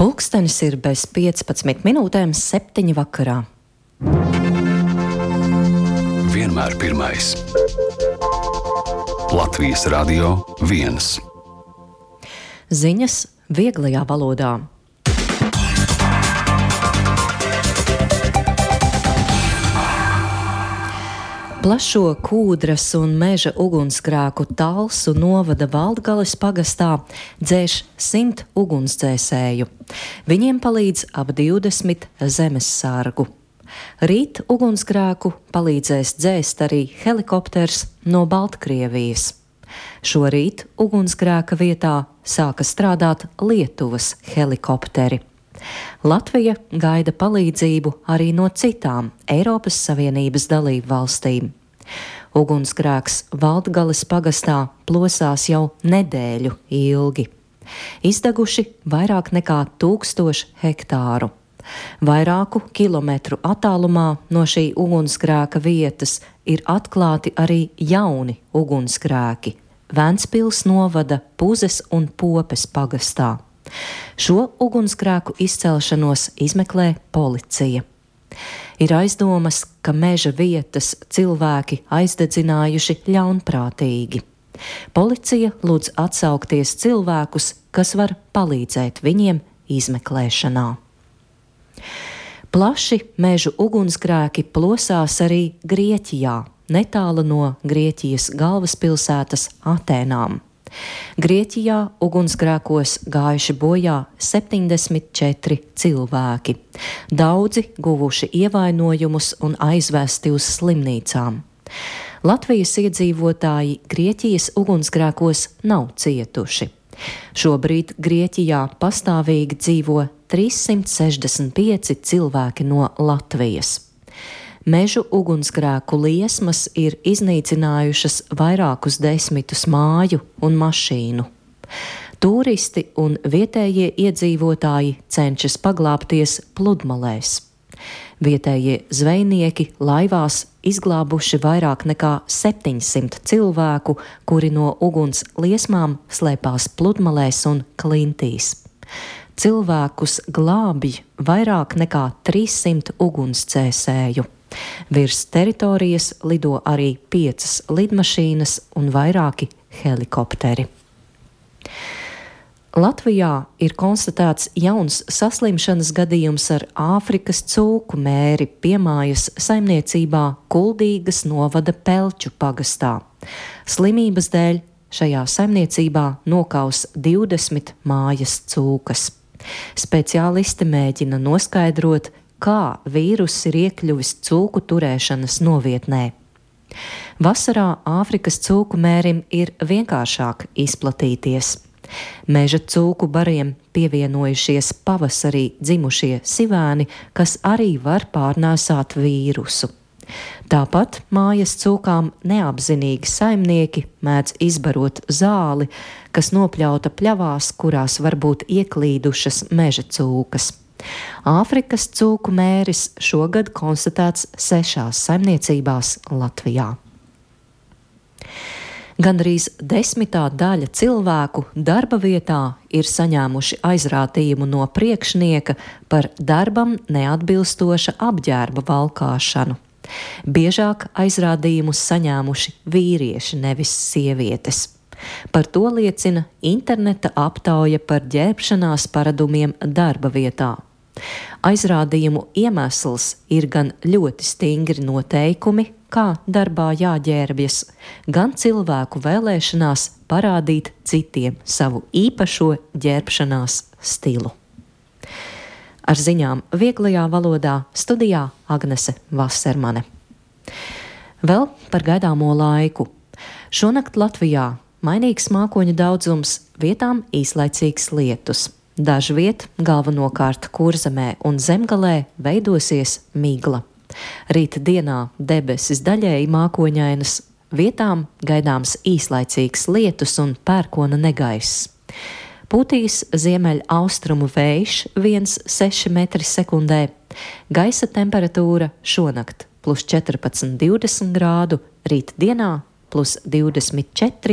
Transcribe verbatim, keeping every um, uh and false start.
Pulkstenis ir bez piecpadsmit minūtēm septiņi vakarā. Vienmēr pirmais. Latvijas Radio viens. Ziņas vieglajā valodā. Plašo Kūdras un meža ugunsgrēku Talsu novada Valdgales pagastā dzēš simt ugunsdzēsēju. Viņiem palīdz ap divdesmit zemessargu. Rīt ugunsgrēku palīdzēs dzēst arī helikopters no Baltkrievijas. Šorīt ugunsgrēka vietā sāka strādāt Lietuvas helikopteri. Latvija gaida palīdzību arī no citām Eiropas Savienības dalību valstīm. Ugunsgrēks Valdgales pagastā plosās jau nedēļu ilgi. Izdeguši vairāk nekā tūkstoši hektāru. Vairāku kilometru attālumā no šī ugunsgrēka vietas ir atklāti arī jauni ugunsgrēki Ventspils novada Puzes un Popes pagastā. Šo ugunsgrēku izcelšanos izmeklē policija. Ir aizdomas, ka meža vietas cilvēki aizdedzinājuši ļaunprātīgi. Policija lūdz atsaukties cilvēkus, kas var palīdzēt viņiem izmeklēšanā. Plaši mežu ugunsgrēki plosās arī Grieķijā, netālu no Grieķijas galvaspilsētas Atēnām. Grieķijā ugunsgrēkos gājuši bojā septiņdesmit četri cilvēki. Daudzi guvuši ievainojumus un aizvesti uz slimnīcām. Latvijas iedzīvotāji Grieķijas ugunsgrēkos nav cietuši. Šobrīd Grieķijā pastāvīgi dzīvo trīssimt sešdesmit pieci cilvēki no Latvijas. Mežu ugunsgrēku liesmas ir iznīcinājušas vairākus desmitus māju un mašīnu. Turisti un vietējie iedzīvotāji cenšas paglābties pludmalēs. Vietējie zvejnieki laivās izglābuši vairāk nekā septiņsimt cilvēku, kuri no uguns liesmām slēpās pludmalēs un klintīs. Cilvēkus glābj vairāk nekā trīssimt ugunsdzēsēju. Virs teritorijas lido arī piecas lidmašīnas un vairāki helikopteri. Latvijā ir konstatēts jauns saslimšanas gadījums ar Āfrikas cūku mēri piemājas saimniecībā Kuldīgas novada Pelču pagastā. Slimības dēļ šajā saimniecībā nokaus divdesmit mājas cūkas. Speciālisti mēģina noskaidrot, kā vīruss ir iekļuvis cūku turēšanas novietnē. Vasarā Āfrikas cūku mērim ir vienkāršāk izplatīties. Meža cūku bariem pievienojušies pavasarī dzimušie sivēni, kas arī var pārnēsāt vīrusu. Tāpat mājas cūkām neapzinīgi saimnieki mēdz izbarot zāli, kas nopļauta pļavās, kurās var būt ieklīdušas meža cūkas. Āfrikas cūku mēris šogad konstatēts sešās saimniecībās Latvijā. Gandrīz desmitā daļa cilvēku darba vietā ir saņēmuši aizrādījumu no priekšnieka par darbam neatbilstoša apģērba valkāšanu. Biežāk aizrādījumus saņēmuši vīrieši, nevis sievietes. Par to liecina interneta aptauja par ģērbšanās paradumiem darba vietā. Aizrādījumu iemesls ir gan ļoti stingri noteikumi, kā darbā jāģērbjas, gan cilvēku vēlēšanās parādīt citiem savu īpašo ģērbšanās stilu. Ar ziņām vieglajā valodā studijā Agnese Vasermane. Vēl par gaidāmo laiku. Šonakt Latvijā mainīgs mākoņu daudzums, vietām īslaicīgs lietus. Dažviet, galvenokārt Kurzemē un Zemgalē, veidosies migla. Rīta dienā debesis daļēji mākoņainas, vietām gaidāms īslaicīgs lietus un pērkona negaiss. Pūtīs ziemeļa austrumu vējš viens komats seši metri sekundē, gaisa temperatūra šonakt plus četrpadsmit divdesmit grādu, rīt dienā plus divdesmit četri